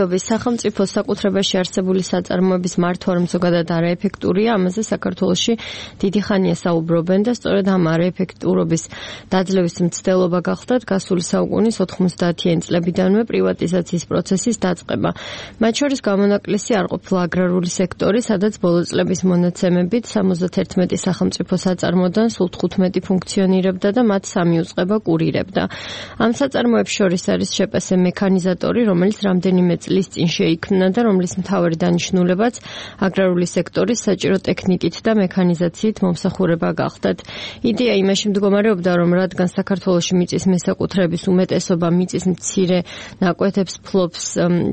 სახელმწიფო საკუთრებაში არსებული საწარმოების მართვა რომ ზოგადად არაეფექტურია, ამაზე საქართველოში დიდი ხანია საუბრობენ და სწორედ ამ არაეფექტურობის დაძლევის მცდელობა გახლდათ გასული საუკუნის 90-იან წლებიდანვე პრივატიზაციის პროცესის დაწყება. მათ შორის გამონაკლისი არ ყოფილა აგრარული სექტორი, სადაც ბოლო წლების მონაცემებით 71 სახელმწიფო საწარმოდან სულ 15 ფუნქციონირებდა და მათ 3 უწყება კურირებდა. ამ საწარმოებს შორის არის შპს მექანიზატორი, რომელიც რამდენიმე წლის წინ შეიქმნა და რომლის მთავარი დანიშნულებაც აგრარული სექტორის საჭირო ტექნიკით და მექანიზაციით მომსახურება გახლდათ. იდეა იმაში მდგომარეობდა, რომ რადგან საქართველოში მიწის მესაკუთრების უმეტესობა მიწის მცირე ნაკვეთებს ფლობს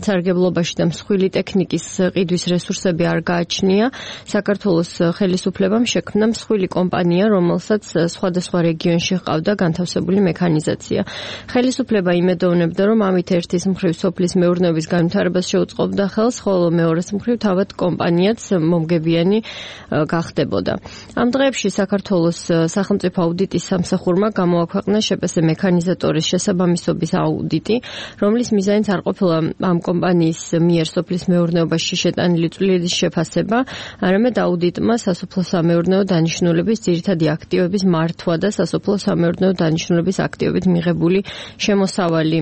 სარგებლობაში და მსხვილი ტექნიკის ყიდვის რესურსები არ გააჩნია, საქართველოს ხელისუფლებამ შექმნა მსხვილი კომპანია, რომელსაც სხვადასხვა რეგიონში ჰყავდა განთავსებული მექანიზაცია. ხელისუფლება იმედოვნებდა, რომ ამით ერთის მხრივ სოფლის მეურნეობის განვითარებას შეუწყობდა ხელს, ხოლო მეორეს მხრივ თავად კომპანიაც მომგებიანი გახდებოდა. ამ დღეებში საქართველოს სახელმწიფო აუდიტის სამსახურმა გამოაქვეყნა შპს მექანიზატორის შესაბამისობის აუდიტი, რომლის მიზანიც არ ყოფილა ამ კომპანიის მიერ სოფლის მეურნეობაში შეტანილი წვლილების შეფასება, არამედ აუდიტმა სასოფლო-სამეურნეო დანიშნულების ძირითადი აქტივების მართვა და სასოფლო-სამეურნეო დანიშნულების აქტივებით მიღებული შემოსავალი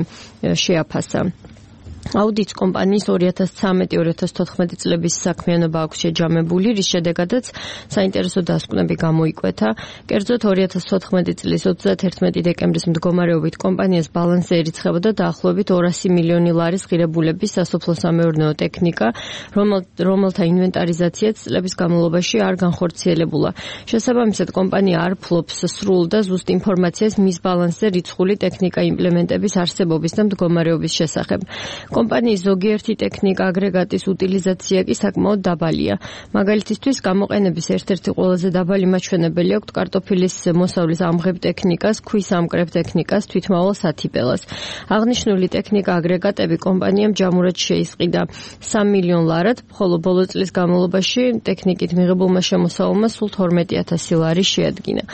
შეაფასა. აუდიტს კომპანიის 2013-2014 წლების საქმიანობა აქვს შეჯამებული, რის შედეგადაც საინტერესო დასკვნები გამოიკვეთა. კერძოდ 2014 წლის 31 დეკემბრის მდგომარეობით კომპანიას ბალანსზე ერიცხებოდა დაახლოებით 200 მილიონი ლარის ღირებულების სასოფლო-სამეურნეო ტექნიკა, რომელთა ინვენტარიზაციაც წლების განმავლობაში არ განხორციელებულა. შესაბამისად, კომპანია არ ფლობს სრულ და ზუსტ ინფორმაციას მის ბალანსზე რიცხული ტექნიკა იმპლემენტების არსებობის და მდგომარეობის შესახებ. კომპანიის ზოგიერთი ტექნიკა აგრეგატის უტილიზაცია კი საკმაოდ დაბალია. მაგალითისთვის, გამოყენების ერთ-ერთი ყველაზე დაბალი მაჩვენებელი აქვს კარტოფილის მოსავლის ამღებ ტექნიკას, ქვის ამკრებ ტექნიკას, თვითმავალ სათიბელას. აღნიშნული ტექნიკა აგრეგატები კომპანიამ ჯამურად შეისყიდა 3 მილიონ ლარად, ხოლო ბოლო წლის განმავლობაში ტექნიკით მიღებულმა შემოსავალმა სულ 12,000 ლარი შეადგინა.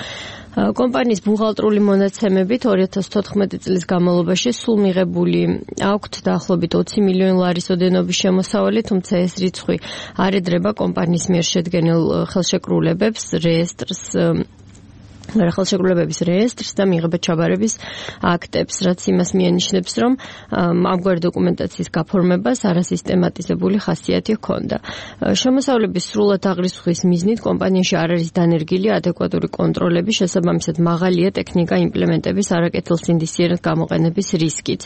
კომპანიის ბუღალტრული მონაცემებით 2014 წლის განმავლობაში სულ მიღებული აქვთ დაახლოებით 20 მილიონი ლარის ოდენობის შემოსავალი, თუმცა ეს რიცხვი არ ედრება კომპანიის მიერ შედგენილ ხელშეკრულებებს, ხელშეკრულებების რეესტრს და მიღება ჩაბარების აქტებს, რაც იმას მიანიშნებს, რომ ამგვარი დოკუმენტაციის გაფორმებას არასისტემატიზებული ხასიათი ჰქონდა. შემოსავლების სრულად აღრიცხვის მიზნით კომპანიაში არ არის დანერგილი ადეკვატური კონტროლები, შესაბამისად მაღალია ტექნიკა იმპლემენტების არაკეთილსინდისიერად გამოყენების რისკიც.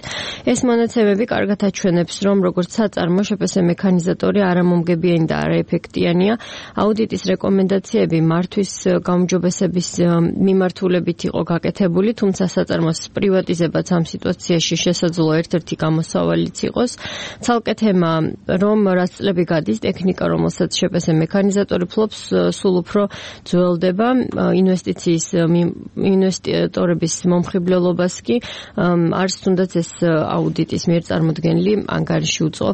ეს მონაცემები კარგად აჩვენებს, რომ როგორც საწარმო შპს მექანიზატორი არამომგებიანი და არაეფექტიანია. აუდიტის რეკომენდაციები მართვის გაუმჯობესების მიმართულებით იყო გაკეთებული, თუმცა საწარმოს პრივატიზებაც ამ სიტუაციაში შესაძლო ერთ-ერთი გამოსავალიც იყოს. ცალკე თემა, რომ რაც წლები გადის, ტექნიკა, რომელსაც შპს მექანიზატორი ფლობს, სულ უფრო ძველდება, ინვესტორების მომხიბლელობას კი არც თუნდაც ეს აუდიტის მიერ წარმოდგენილი ანგარიში უწყობს